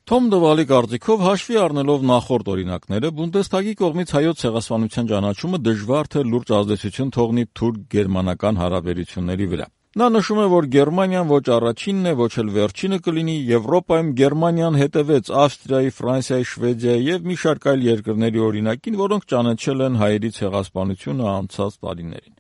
Թոմ Դվալի կարծիքով հաշվի առնելով նախորդ օրինակները, Բունդեսթագի կողմից հայոց ցեղասպանության ճանաչումը դժվար թե լուրջ ազդեցություն թողնի թուրք-գերմանական հարաբերությունների վրա։ Նա նշում է, որ Գերմանիան ոչ առաջինն է, ոչ էլ վերջինը կլինի, Եվրոպայում Գերմանիան հետևեց Ավստրիայի, Ֆրանսիայի, Շվեդիայի եւ մի շարք այլ երկրների օրինակին, որոնք ճանաչել են հայերի ցեղասպանությունը անցած տարիներին։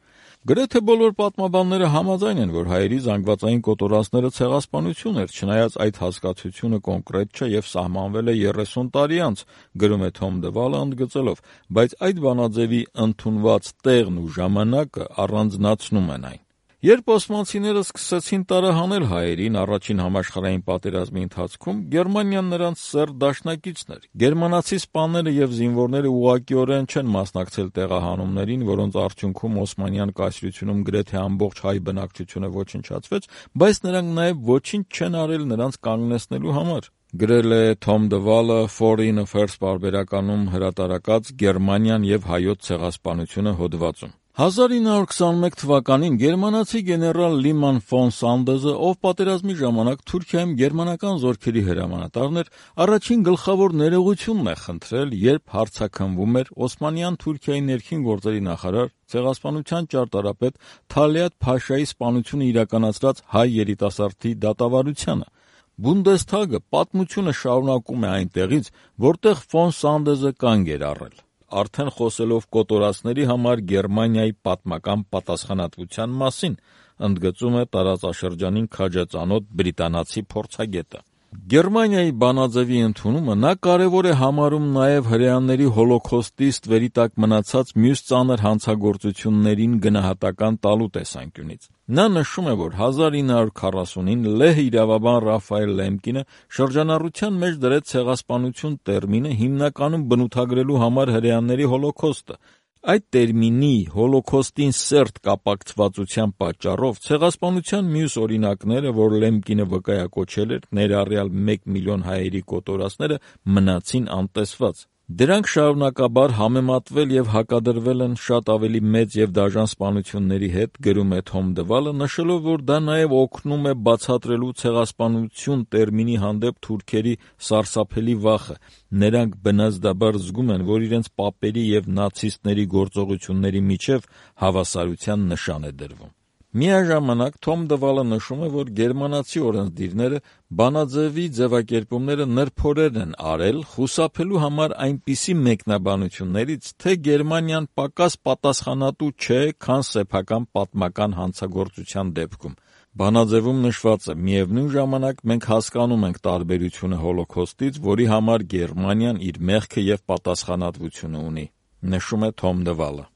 Գրեթե բոլոր պատմաբանները համաձայն են, որ հայերի զանգվածային կոտորածները ցեղասպանություն էր, չնայած այդ հասկացությունը կոնկրետ չէ եւ սահմանվել է 30 տարի անց, գրում է Թոմ Դվալը ընդգծելով, բայց այդ բանաձևի ընդունված տեղն ու ժամանակը առանձնացնում են այն։ Երբ օսմանցիները սկսեցին տարահանել հայերին առաջին համաշխարհային պատերազմի ընթացքում, Գերմանիան նրանց սերտ դաշնակիցն էր։ Գերմանացի սպաները եւ զինվորները ուղղակիորեն չեն մասնակցել տեղահանումներին, որոնց արդյունքում օսմանյան կայսրությունում գրեթե ամբողջ հայ բնակչությունը ոչնչացվեց, բայց նրանք նաեւ ոչինչ չեն արել նրանց կանգնեցնելու համար։ Գրել է Թոմ Դվալը Foreign Affairs պարբերականում հրատարակած Գերմանիան եւ հայոց ցեղասպանությունը հոդվածում։ 1921 թվականին գերմանացի գեներալ Լիման ֆոն Սանդեզը, ով պատերազմի ժամանակ Թուրքիայում գերմանական զորքերի հրամանատարն էր, առաջին գլխավոր ներողությունն է խնդրել, երբ հարցաքննվում էր Օսմանյան Թուրքիայի ներքին գործերի նախարար, ցեղասպանության ճարտարապետ Թալիաթ Փաշայի սպանությունը իրականացրած հայ երիտասարդի դատավարությանը։ Բունդեսթագը պատմությունը շարունակում է այնտեղից, որտեղ ֆոն Սանդեզը կանգ էր առել, արդեն խոսելով կոտորածների համար Գերմանիայի պատմական պատասխանատվության մասին, ընդգծում է տարածաշրջանին քաջածանոթ բրիտանացի փորձագետը։ Գերմանիայի բանաձևի ընդունումը նա կարևոր է համարում նաև հրեաների հոլոքոստի ստվերի տակ մնացած մյուս ծանր հանցագործություններին գնահատական տալու տեսանկյունից։ Նա նշում է, որ 1940-ին լեհ իրավաբան Ռաֆայել Լեմկինը շրջանառության մեջ դրեց ցեղասպանություն տերմինը հիմնականում բնութագրելու համար հրեաների հոլոքոստը։ Այդ տերմինի հոլոքոստին սերտ կապակցվածության պատճառով ցեղասպանության մյուս օրինակները, որ Լեմկինը վկայակոչել էր, ներառյալ 1 միլիոն հայերի կոտորածները, մնացին անտեսված։ Դրանք շարունակաբար համեմատվել եւ հակադրվել են շատ ավելի մեծ եւ դաժան սպանությունների հետ, գրում է Թոմ Դվալը, նշելով, որ դա նաեւ օգնում է բացատրելու ցեղասպանություն տերմինի հանդեպ թուրքերի սարսափելի վախը։ Նրանք բնազդաբար զգում են, որ իրենց պապերի եւ նացիստների գործողությունների միջև հավասարության նշան է դրվում։ Միաժամանակ Թոմ Դվալը նշում է, որ գերմանացի օրենսդիրները բանաձևի ձևակերպումները նրբորեն են արել, խուսափելու համար այնպիսի մեկնաբանություններից, թե Գերմանիան պակաս պատասխանատու չէ, քան սեփական պատմական հանցագործության դեպքում։ Բանաձևում նշված է. միևնույն ժամանակ մենք հասկանում ենք տարբերությունը հոլոքոստից, որի համար Գերմանիան իր մեղքը եւ պատասխանատվությունը ունի, նշում է Թոմ Դվալը։